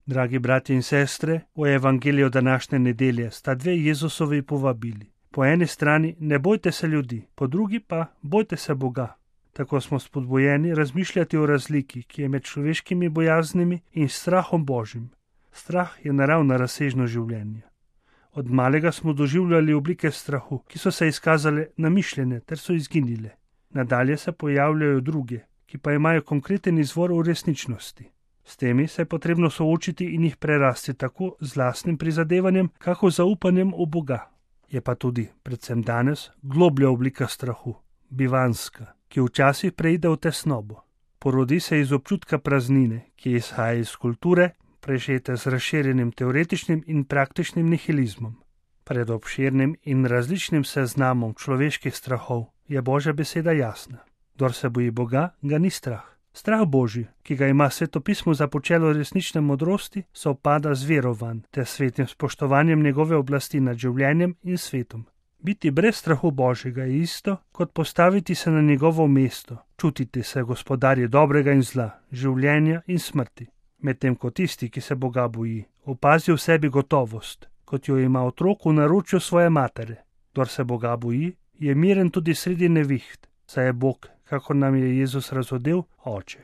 Dragi bratje in sestre, v evangeliju današnje nedelje sta dve Jezusovi povabili. Po eni strani ne bojte se ljudi, po drugi pa bojte se Boga. Tako smo spodbujeni razmišljati o razliki, ki je med človeškimi bojaznimi in strahom Božjim. Strah je naravna razsežnost življenja. Od malega smo doživljali oblike strahu, ki so se izkazale namišljene ter so izginile. Nadalje se pojavljajo druge, ki pa imajo konkreten izvor v resničnosti. S temi se je potrebno soočiti in jih prerasti tako z lastnim prizadevanjem, kako zaupanjem v Boga. Je pa tudi, predvsem danes, globlja oblika strahu, bivanska, ki včasih preide v tesnobo. Porodi se iz občutka praznine, ki izhaja iz kulture, prežete z razširjenim teoretičnim in praktičnim nihilizmom. Pred obširnim in različnim seznamom človeških strahov je Božja beseda jasna. Kdor se boji Boga, ga ni strah. Strah Božji, ki ga ima Sveto pismo za počelo resnične modrosti, sovpada z verovanjem ter svetim spoštovanjem njegove oblasti nad življenjem in svetom. Biti brez strahu Božjega je isto, kot postaviti se na njegovo mesto, čutiti se gospodarje dobrega in zla, življenja in smrti. Medtem ko tisti, ki se Boga boji, opazi v sebi gotovost, kot jo ima otrok v naročju svoje matere. Kdor se Boga boji, je miren tudi sredi neviht, saj je Bog, kakor nam je Jezus razodel, Oče,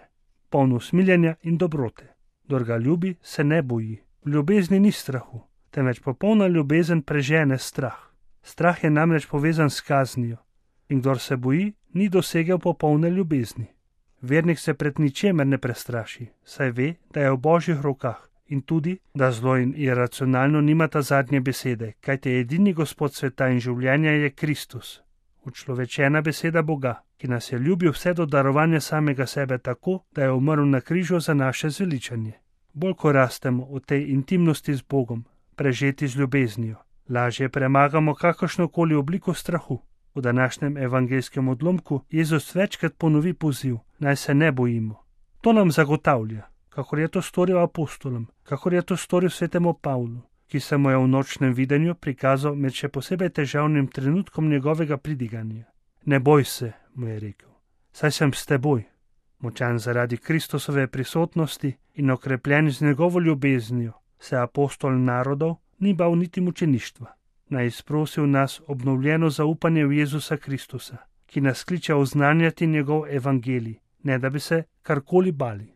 poln usmiljenja in dobrote. Kdor ga ljubi, se ne boji. V ljubezni ni strahu, temveč popolna ljubezen prežene strah. Strah je namreč povezan s kaznijo in kdor se boji, ni dosegel popolne ljubezni. Vernik se pred ničemer ne prestraši, saj ve, da je v Božjih rokah in tudi, da zlo in iracionalno nimata zadnje besede, kajte edini Gospod sveta in življenja je Kristus, učlovečena beseda Boga, ki nas je ljubil vse do darovanja samega sebe tako, da je umrl na križu za naše zveličanje. Bolj ko rastemo v tej intimnosti z Bogom, prežeti z ljubeznijo, lažje premagamo kakršnokoli obliko strahu. V današnjem evangelskem odlomku Jezus večkrat ponovi poziv, naj se ne bojimo. To nam zagotavlja, kakor je to storil apostolom, kakor je to storil svetemu Pavlu, ki se mu je v nočnem videnju prikazal med še posebej težavnim trenutkom njegovega pridiganja. Ne boj se, mu je rekel, saj sem s teboj. Močan zaradi Kristusove prisotnosti in okrepljen z njegovo ljubeznijo, se apostol narodov ni bal niti mučeništva. Naj izprosi v nas obnovljeno zaupanje v Jezusa Kristusa, ki nas kliče oznanjati njegov evangelij, ne da bi se karkoli bali.